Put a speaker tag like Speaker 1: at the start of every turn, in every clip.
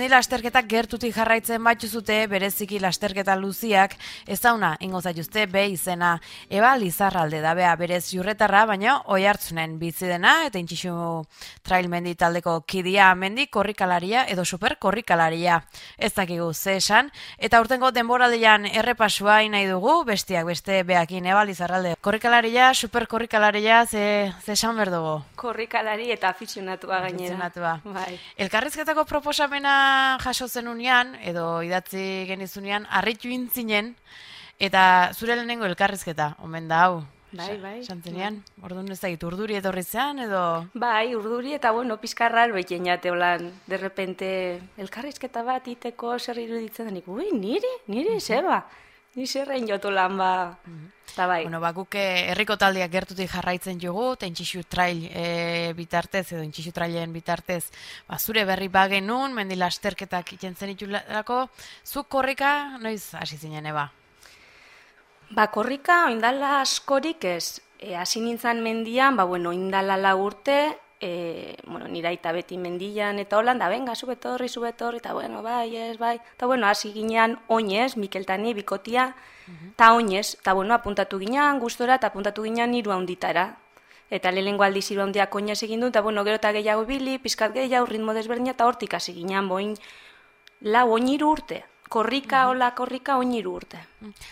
Speaker 1: mendi lasterketak gertutik jarraitzen batuzute, bereziki lasterketa luziak, ez dauna, ingo zaituzte, be izena, Eba Lizarralde da, bea, berez jurretarra, baina Oiartzunen bizi dena, eta Intxixu Trail mendi taldeko kidia mendi korrikalaria edo super korrikalaria. Ez dakigu ze esan, eta urtengo denboraldian errepasua nahi dugu, bestiak beste beakin, Eba Lizarralde. Korrikalaria, super korrikalaria, ze esan berdugu?
Speaker 2: Korrikalari eta afizionatua gainera.
Speaker 1: Afizionatua.
Speaker 2: Bai.
Speaker 1: Elkarrizketako proposamena jaso zenunean, edo idatzi genizunean, harritu intzinen, eta zure lehenengo elkarrizketa, omen da hau.
Speaker 2: Bai.
Speaker 1: Santzenean, orduan ez da, urduri etorri zean, edo...
Speaker 2: Bai, urduri eta bueno, pizkarrar behiten jate holan, de repente, elkarrizketa bat iteko zer iruditzen denik, niri, zeba, ni zerrein jotu lan ba, eta bai.
Speaker 1: Bueno, guk herriko taldeak gertutik jarraitzen jugu, eta Intxixu Trail bitartez, edo Intxixu Trailen bitartez, zure berri bagenun, mendi lasterketak itentzen itulako, zuk korrika, noiz hasi zinen, Eba?
Speaker 2: Korrika, oindala askorik ez, hasi nintzen mendian, oindala 4 urte, nire aita beti mendian, eta holan, da benga, zubetorri, eta bai, eta hasi ginean oinez, Mikeltani, bikotia, eta oinez, eta apuntatu ginean, gustora, eta apuntatu ginean 3 handitara. Eta lehenengo aldiz 3 handiak oinez egin du, eta gero eta gehiago bili, pizkat gehiago, ritmo desberdina, eta hortik hasi ginean, oin 3 urte. Korrika, korrika, 3 urte.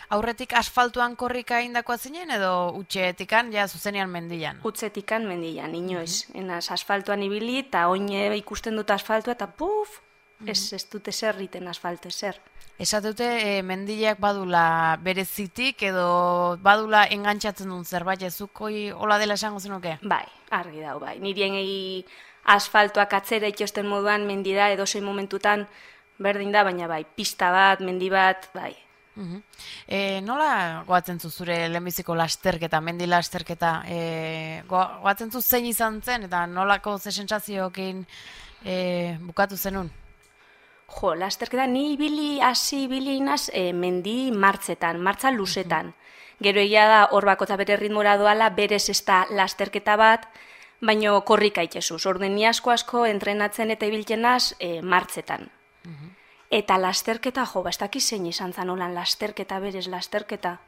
Speaker 1: Aurretik asfaltuan korrika indakoa zinen edo utxetikan, ja zuzenean mendian?
Speaker 2: Utzetikan mendian, inoiz. Enaz, asfaltuan ibili, eta oine ikusten dut asfaltua, eta puf, ez dute zer riten asfaltu, zer.
Speaker 1: Esatute, mendileak badula berezitik edo badula engantzatzen duen zerbait, ezukoi hola dela esango zenuke?
Speaker 2: Bai, argi dau, bai. Nirien asfaltuak atzera itxosten moduan mendira edo zein momentutan berdin da, baina bai, pista bat, mendi bat, bai.
Speaker 1: Nola goatzen zu zure lehenbiziko lasterketa, mendi lasterketa? Goatzen zu zein izan zen eta nolako ze sentsazioekin bukatu zenun?
Speaker 2: Lasterketa, ni hasi ibili inaz mendi martza luzetan. Gero egia da hor bakotza bere ritmora doala, berez ez da lasterketa bat, baina korrika itxezuz. Orden ni asko entrenatzen eta ibiltzen naz martzetan. Eta lasterketa, ez dakiz zein izan zan holan lasterketa, berez lasterketa,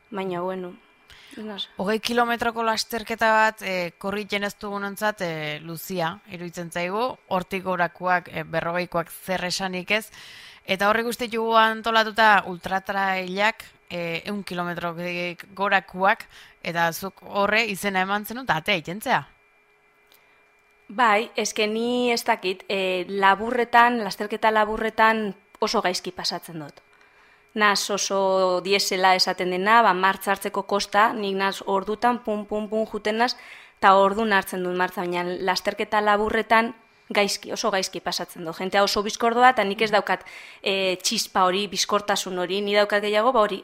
Speaker 2: baina, bueno.
Speaker 1: 20 kilometroko lasterketa bat, korritzen ez dugunontzat, luzia, iruditzen zaigu, hortik gorakoak, 40koak zer esanik ez, eta horrek uste jugu antolatuta ultratrailak, 100 kilometro gorakoak, eta zuk horre izena eman zenun, eta atea itentzea.
Speaker 2: Bai, ni ez dakit, lasterketa laburretan oso gaizki pasatzen dut. Naz oso diesela esaten dena, martza hartzeko kosta, nik naz ordutan pum juten naz, eta ordun hartzen dut martza, baina lasterketa laburretan oso gaizki pasatzen dut. Jentea oso bizkordoa, eta nik ez daukat txispa hori, bizkortasun hori, ni daukat gehiago, hori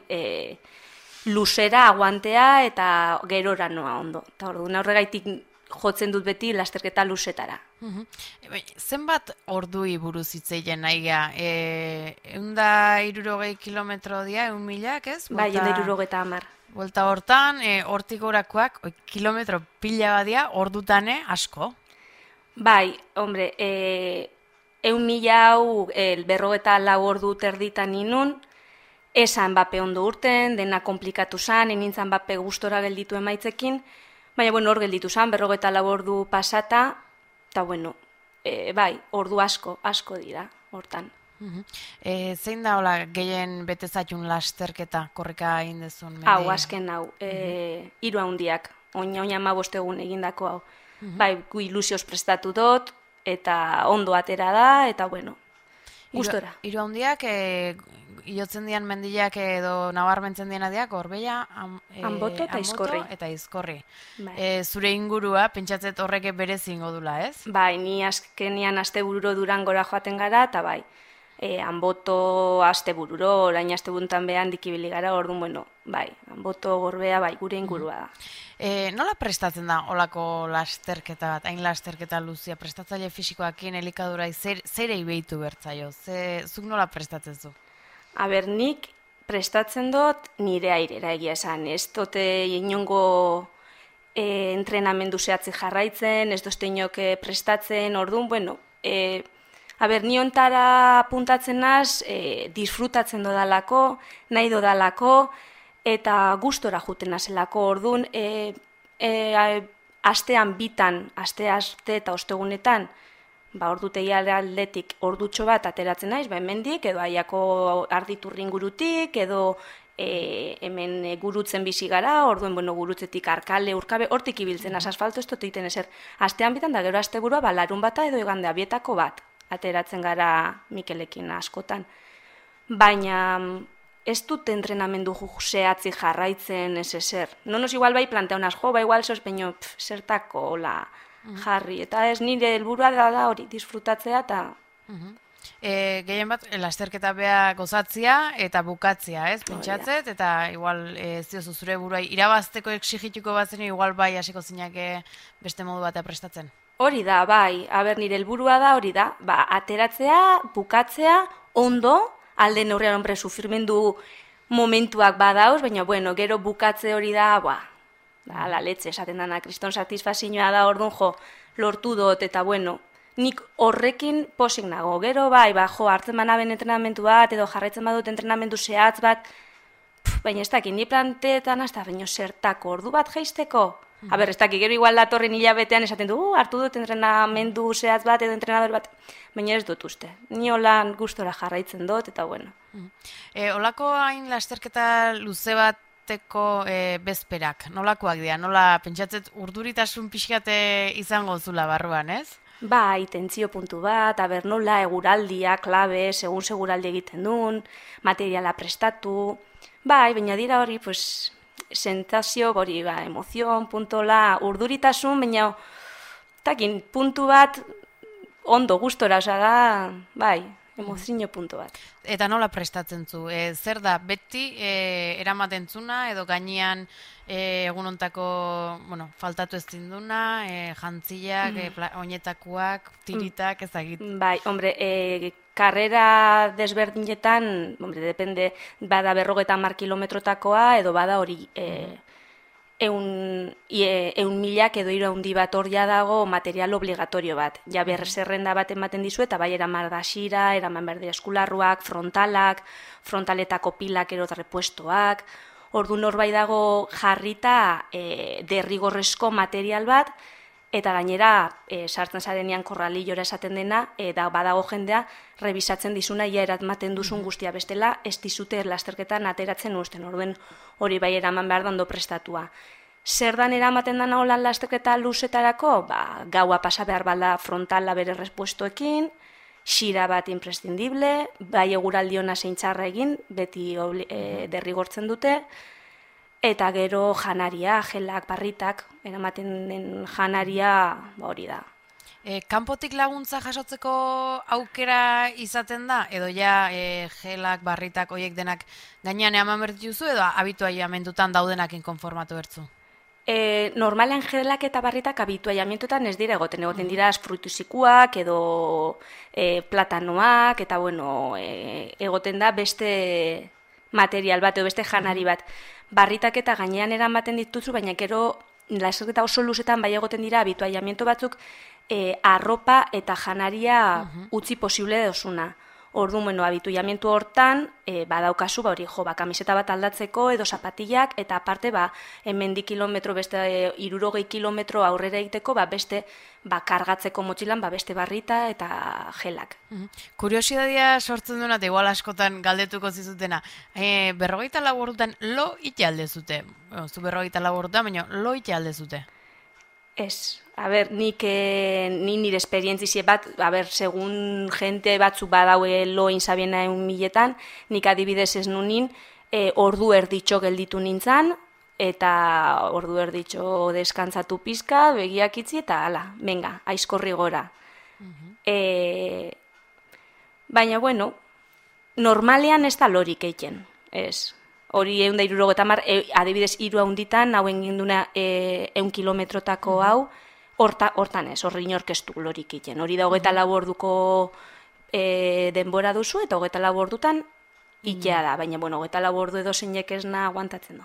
Speaker 2: luzera, aguantea, eta gerora noa ondo. Eta ordun horregaitik jotzen dut beti lasterketa luzetara.
Speaker 1: Zenbat ordui buruz hitzeien nahi geha? 160 kilometro dia, 1.000, ez?
Speaker 2: Bai, 160.
Speaker 1: Buelta hortan, hortik gorakoak, kilometro pila badia, ordutane asko?
Speaker 2: Bai, hombre, 1.000 hau 44 ordu terditan inun, esan bape ondo urten, dena komplikatu zan, enintzan bape gustora gelditu emaitzekin, baina, hor gelditu zan, 44 ordu pasata, eta, bai, ordu asko dira, hortan.
Speaker 1: Zein da, hola, gehien betezatun lasterketa korrika egin dezun?
Speaker 2: Hau, azken hau, 3 handiak, oina 15 egun egindako hau. Bai, gu ilusioz prestatu dut, eta ondo atera da, eta, gustora.
Speaker 1: 3 handiak, iotzen dian mendileak edo nabarmentzen diena diak, Gorbeia,
Speaker 2: Anboto eta
Speaker 1: Izkorri.
Speaker 2: Bai.
Speaker 1: Zure ingurua, pentsatzet horrek berez ingo dula, ez?
Speaker 2: Bai, ni azkenian astebururo Durangora joaten gara, eta bai, Anboto astebururo, orain astebuntan behan dikibili gara, orduan, bai, Anboto, Gorbea, bai, gure ingurua da.
Speaker 1: Nola prestatzen da olako lasterketa bat, hain lasterketa luzia, prestatzaile fisikoakin, elikadurai, zerei behitu bertzaio? Zuk nola prestatzen zu?
Speaker 2: Nik prestatzen dut nire airera egia esan, ez dute inongo entrenamendu zehatzi jarraitzen, ez dozte inoke prestatzen, orduan, Ni ontara puntatzen naz, disfrutatzen dodalako, nahi dodalako, eta gustora juten nazelako. Orduan, astean bitan, aste eta ostegunetan, ordutegi aldetik ordutxo bat ateratzen naiz, hemendik, edo aiako arditurri ingurutik, edo hemen gurutzen bizi gara, orduen gurutzetik Arkale, Urkabe, hortik ibiltzen, asfalto ez dut egiten ezer. Astean bitan, da gero asteburua, larun bata edo igandea bietako bat, ateratzen gara Mikelekin askotan. Baina ez dut entrenamendu zehatzi jarraitzen ez ezer. Nonos igual bai planteunaz, igual sos peño, zertako la jarri, eta ez nire helburua da hori, disfrutatzea eta...
Speaker 1: Gehien bat, lasterketa bea gozatzia eta bukatzia, ez? Pentsatzet, eta igual ez diozu zure buruai irabazteko exigituko batzen, igual bai hasiko zinake beste modu batea prestatzen.
Speaker 2: Hori da, bai, nire helburua da hori da, ateratzea, bukatzea, ondo, alde neurrian hombre sufrimendu momentuak badauz, baina gero bukatze hori da, la letze esaten dana, kriston satisfazioa da, orduan lortu dut, eta nik horrekin posik nago. Gero hartzen banaben entrenamentu bat, edo jarraitzen badut entrenamendu zehatz bat, baina ez dakit, ni planteetan hasta baino zertako ordu bat jaisteko. Ez dakit, gero igual datorren hilabetean esaten du, hartu dut entrenamendu zehatz bat, edo entrenador bat, baina ez dut uste. Ni holan gustora jarraitzen dut, eta
Speaker 1: Olako hain lasterketa luze bateko bezperak, nolakoak dira? Nola pentsatzet urduritasun pixkate izango zula barruan, ez?
Speaker 2: Tentzio puntu bat, nola eguraldia, klabe, segun seguraldi egiten duen, materiala prestatu, baina dira hori, sentazio, emozion, puntola, urduritasun, baina, puntu bat, ondo gustora, da, emozio puntu bat.
Speaker 1: Eta nola prestatzen zu? Zer da, beti eramaten zuna, edo gainean egunontako, faltatu ez zinduna, jantziak, oinetakoak, tiritak, ezagit?
Speaker 2: Karrera desberdinetan, depende, bada 50 kilometrotakoa, edo bada hori 100.000 edo 300 bat hor dago material obligatorio bat. Ja zerrenda bat ematen dizu, eta bai eraman da xira, eraman berde eskularruak, frontaletako pilak ero repuestoak. Ordu norbait dago jarrita derrigorrezko material bat, eta gainera sartzen zarenean korralillora esaten dena, eta badago jendea rebisatzen dizuna ia eratmaten duzun guztia bestela, ez dizute lasterketan ateratzen uzten, orduen hori bai eraman behar dando prestatua. Zer dan eramaten dana holan lasterketa luzetarako? Gaua pasa behar balda frontala bere respuestoekin, xira bat imprescindible, bai eguraldiona zeintxarra egin, beti derrigortzen dute, eta gero janaria, gelak, barritak, eramaten den janaria hori da.
Speaker 1: Kanpotik laguntza jasotzeko aukera izaten da? Edo ja gelak, barritak, oiek denak gainean eman bertuzu, edo abituaiamentutan daudenakin konformatu bertzu?
Speaker 2: Normalean gelak eta barritak abituaiamentutan ez dira egoten dira fruituzikuak edo platanoak, eta egoten da beste material bat edo beste janari bat. Barritak eta gainean eramaten dituzu, baina gero lasterketa oso luzetan bai egoten dira abituaiamentu batzuk arropa eta janaria utzi posible dozuna. Orduan, abituaiamentu hortan, badaukazu, kamiseta bat aldatzeko edo zapatillak, eta aparte, hemendik kilometro, beste 60 kilometro aurrera egiteko, beste kargatzeko motxilan, beste barrita eta gelak.
Speaker 1: Kuriosidadia sortzen duena, eta igual askotan galdetuko zizutena, 44 ordutan lo ite alde zute? Zu 44 ordutan, baina lo ite alde zute?
Speaker 2: Ez. Nik nire esperientzizie bat, segun jente batzuk badaue loin zabiena 1.000-etan, nik adibidez ez nunin, ordu erditxo gelditu nintzen, eta ordu erditxo deskantzatu pizka, begiak itzi, eta ala, venga, aizkorri gora. Baina, normalean ez da lorik eiken, ez. Hori 160, adibidez 3 handitan, hauen ginduna 100 kilometrotako hau, hortan ez, horri inorkestu lorik iten. Hori da 24 orduko denbora duzu, eta 24 ordutan itea da, baina 24 ordu edo zeinek esna aguantatzen du.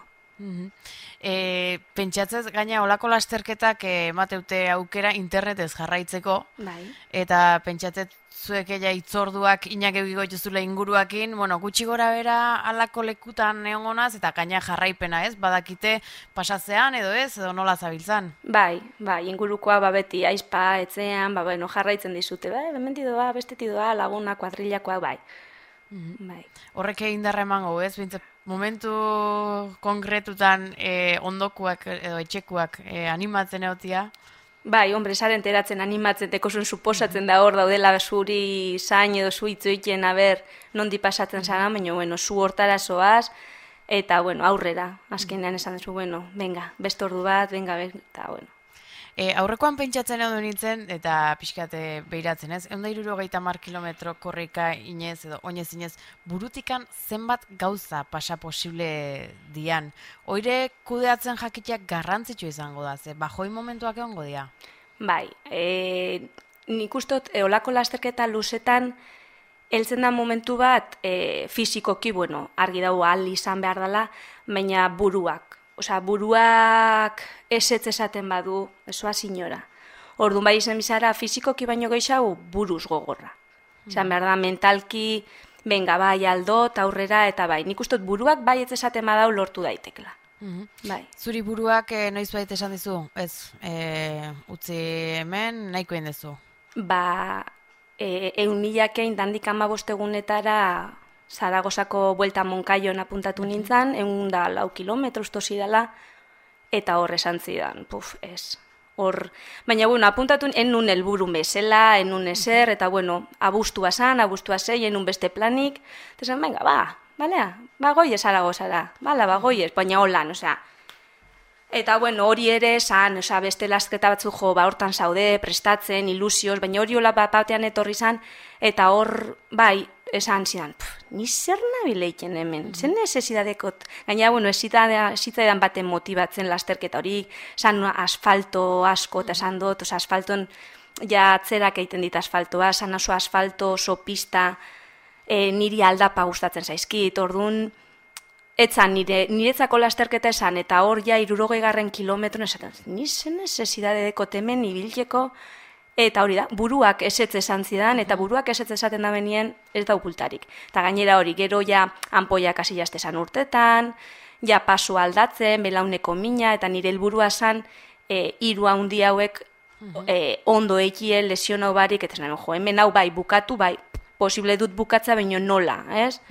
Speaker 1: Pentsatzez, gaina olako lasterketak emateute aukera internetez jarraitzeko,
Speaker 2: Bai.
Speaker 1: eta pentsatzez zuek itzorduak inak egiko jozule inguruakin, gutxi gora bera alako lekutan neongonaz, eta gaina jarraipena, ez? Badakite pasatzean edo ez, edo nola zabiltzan?
Speaker 2: Bai, ingurukoa beti aizpa, etzean, jarraitzen dizute, bementidoa, bestetidoa, laguna, kuadrillakoa, bai. Bai.
Speaker 1: Horrek indarra emango, ez? Bintzat, momentu konkretutan ondokuak edo etxekuak animatzen egotia?
Speaker 2: Bai, hombre, saren teratzen animatzen, tekosun suposatzen da hor daudela zuri zain edo zu itzoiten, nondi pasatzen zara, baina, zu hortara zoaz, eta, aurrera, azkenean esan duzu, venga, beste ordu bat, venga, eta,
Speaker 1: Aurrekoan pentsatzen edo nintzen, eta pixkate behiratzen ez, 160 kilometro korrika inez edo oinez inez, burutikan zenbat gauza pasa posible dian. Oire kudeatzen jakiteak garrantzitsu izango da, ze bajoi momentuak egongo dira?
Speaker 2: Bai, nik ustot, olako lasterketa luzetan, heltzen da momentu bat, fizikoki, argi dago ahal izan behar dela, baina buruak. Buruak esetz esaten badu, esoa sinora. Orduan bai izan bizara, fizikoki baino gehiago buruz gogorra. Esan behar da, mentalki, benga bai aldot, aurrera, eta bai. Nik ustot buruak bai ez esaten badau lortu daitekla. Bai.
Speaker 1: Zuri buruak noiz bait esan dizu? Ez, utzi hemen nahiko dezu?
Speaker 2: 1.000 dandik 15 egunetara Zaragozako buelta Monkaion apuntatu nintzen, 104 kilometro ustosi dela, eta hor esan zidan, ez. Baina, apuntatu enun helburu bezala, enun ezer, eta, abustua zei, enun beste planik, eta zen, venga, goiez Zaragozara, goiez, baina holan, Eta, hori ere esan, beste lasketa batzu hortan zaude, prestatzen, ilusioz, baina hori hola batean etorri zan, eta hor, bai, esan zidan, ni zer nabileiken hemen, zen nesesidadekot, gaina, esitzaidan baten motibatzen lasterketa hori, esan asfalto asko, eta esan dut, asfalton, ja atzerak egiten dit asfaltoa, esan oso asfalto, oso pista, niri aldapa gustatzen zaizkit, orduan, etzan niretzako lasterketa esan, eta hor ja 60 kilometron esaten, ni zen nesesidadekot hemen ibiltzeko, eta hori da, buruak esetz esan zidan, eta buruak esetz esaten da benien ez da okultarik. Eta gainera hori, gero ja anpoiak hasi jaztezan urtetan, ja paso aldatzen, belauneko mina, eta nire helburua zan, 3 handi hauek ondo ekie lesionau barik, eta zen, hemen hau bai bukatu, bai, posible dut bukatza, baino nola, ez?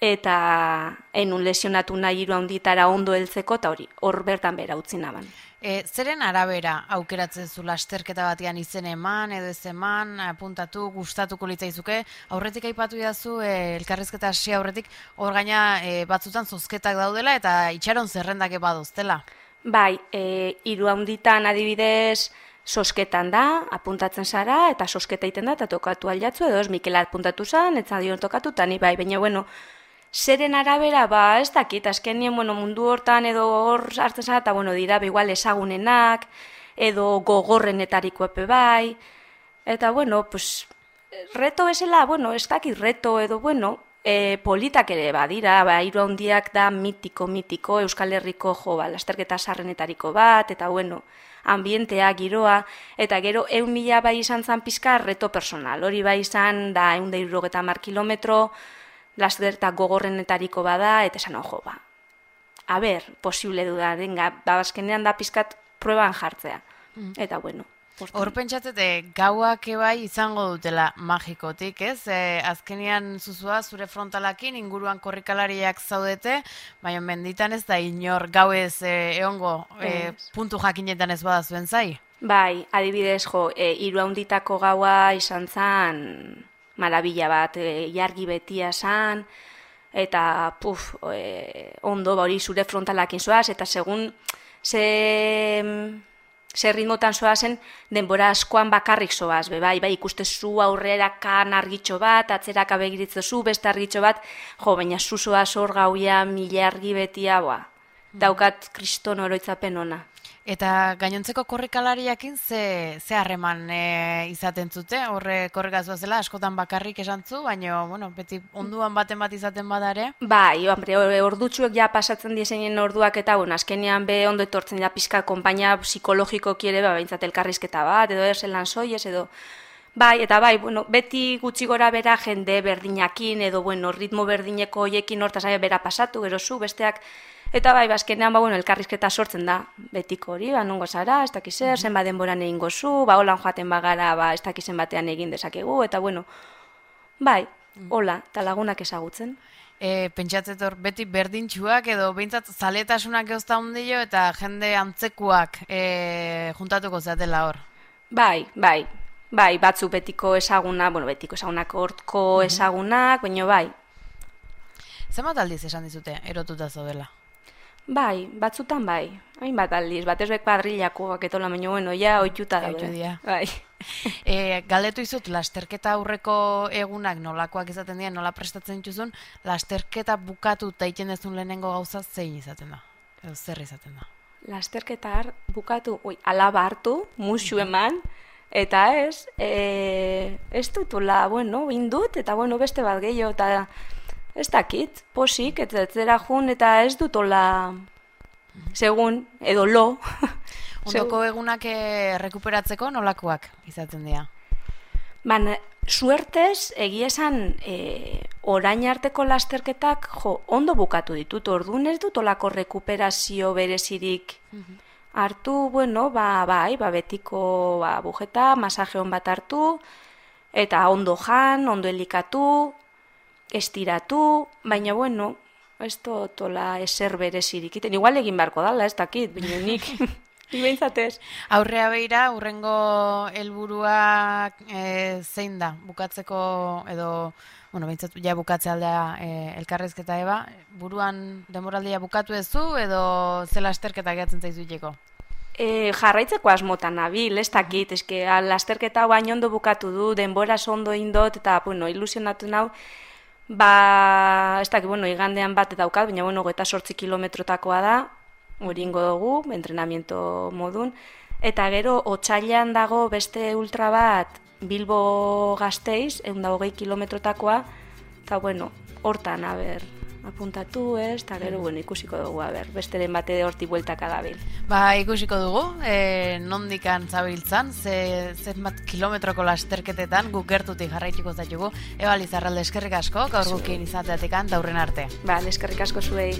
Speaker 2: Eta enun lesionatu nahi 3 handitara ondo heltzeko, eta hori, hor bertan bera utzi naban.
Speaker 1: Zeren arabera aukeratzen zu lasterketa batean izen eman, edo ez eman, apuntatu, gustatuko litzaizuke, aurretik aipatu idazu, elkarrizketa hasi aurretik, hor gaina batzutan zozketak daudela, eta itxaron zerrendak badoztela.
Speaker 2: Bai, 3 handitan adibidez, sosketan da, apuntatzen zara, eta sosketa iten da, eta tokatu aldatzu, edo ez Mikel apuntatu zan, ez dion tokatu, eta ni bai, baina, zeren arabera, ez dakit, azkenien, mundu hortan edo hor hartzen zara, eta, dira, igual ezagunenak, edo gogorrenetariko epe bai, eta, reto bezala, ez dakit reto, edo, politak ere badira, 3 handiak da mitiko, Euskal Herriko, lasterketa sarrenetariko bat, eta, ambientea, giroa, eta gero 1.000 bai izan zan pizka reto personal, hori bai izan da 160 kilometro, lasterketa gogorrenetariko bada, eta esan posible duda, azkenean da pizkat prueban jartzea, eta
Speaker 1: Hor pentsatzete, gauak ebai izango dutela magikotik, ez? Azkenean zuzua zure frontalakin inguruan korrikalariak zaudete, baina menditan ez da inor gauez egongo puntu jakinetan ez bada zuen zai?
Speaker 2: Bai, adibidez, 3 handitako gaua izan zan marabila bat, jargi betia zan, eta ondo hori zure frontalakin zoaz, eta segun zer ritmotan zoazen, denbora askoan bakarrik zoaz, bai, ikustezu aurrerakan argitxo bat, atzeraka begiritzozu, beste argitxo bat, baina zuzoaz hor gauia, mila argi betia, daukat kriston oroitzapen ona.
Speaker 1: Eta gainontzeko korrikalariakin ze harreman izaten zute? Horre korrikaz bazela, askotan bakarrik esan zu, baina, bueno, beti onduan baten bat izaten badare?
Speaker 2: Bai, hombre, ordutxuek ja pasatzen diseinen orduak eta, bueno, azkenean be ondo etortzen ja pizka konpainia psikologikoki ere, behintzat elkarrizketa bat, edo erzelan soiez, edo... Bai, eta bai, bueno, beti gutxi gora bera jende berdinakin, edo, bueno, ritmo berdineko hoiekin hortaz bera pasatu, gero zu, besteak... Eta bai, bazkenean, bueno, elkarrizketa sortzen da, betiko hori, nongo zara, ez dakiz zer, zenbat denboran egingo zu, holan joaten bagara, ez dakizen batean egin dezakegu, eta bueno, bai, hola, eta lagunak ezagutzen.
Speaker 1: Pentsatzet hor, beti berdintxuak edo behintzat zaletasunak eozta hundio eta jende antzekuak juntatuko zatela hor.
Speaker 2: Bai, batzu betiko ezaguna, bueno, betiko ezagunak hortko ezagunak, baina bai.
Speaker 1: Zenbat aldiz esan dizute, erotuta zaudela?
Speaker 2: Bai, batzutan bai. Hainbat aldiz, batez bek padrilakoak etola, baina bueno, ja ohituta daude. Bai.
Speaker 1: Galdetu izut, lasterketa aurreko egunak nolakoak izaten dira, nola prestatzen dituzun, lasterketa bukatu eta iten dezun lehenengo gauza zein izaten da? Edo zer izaten da?
Speaker 2: Lasterketa bukatu, alaba hartu, musu eman, eta ez dutula, bueno, indut, eta bueno, beste bat gehiago, eta ez dakit, posik, eta zera jun, eta ez dutola, segun, edo lo.
Speaker 1: Ondoko egunak rekuperatzeko nolakoak izaten dira?
Speaker 2: Baina, suertez, egia esan, orain arteko lasterketak, ondo bukatu ditut, orduan ez dutolako rekuperazio berezirik hartu, bueno, bai, betiko bujeta, masaje hon bat hartu, eta ondo jan, ondo elikatu, estiratu, baina, bueno, ez dutola eser berezirik. Igual egin beharko dala, ez dakit, baina nik... Ibentzatez.
Speaker 1: Aurrea beira, urrengo helburuak zein da? Bukatzeko edo, bueno, behintzat ja bukatze aldea elkarrezketa eba, buruan denboraldia bukatu ezu edo zela lasterketa gehatzen zaizuiteko?
Speaker 2: Jarraitzeko asmotan nabil, ez dakit, eske lasterketa baino ondo bukatu du, denboraz ondo indot, eta, bueno, ilusionatu nau, ez dakit, bueno, igandean bat daukat, baina, bueno, 28 kilometrotakoa da, hori ingo dugu, entrenamiento modun, eta gero otsailean dago beste ultra bat Bilbo Gasteiz, 120 kilometrotakoa, eta bueno, hortan, apuntatu eta gero, bueno, ikusiko dugu, besteren bate horti bueltaka dabil.
Speaker 1: Ikusiko dugu, nondikan zabiltzan, zenbat kilometroko lasterketetan guk gertutik jarraituko zaitugu. Eba Lizarralde, eskerrik asko, gaur gukin izateatekan, eta hurren arte.
Speaker 2: Eskerrik asko zuei.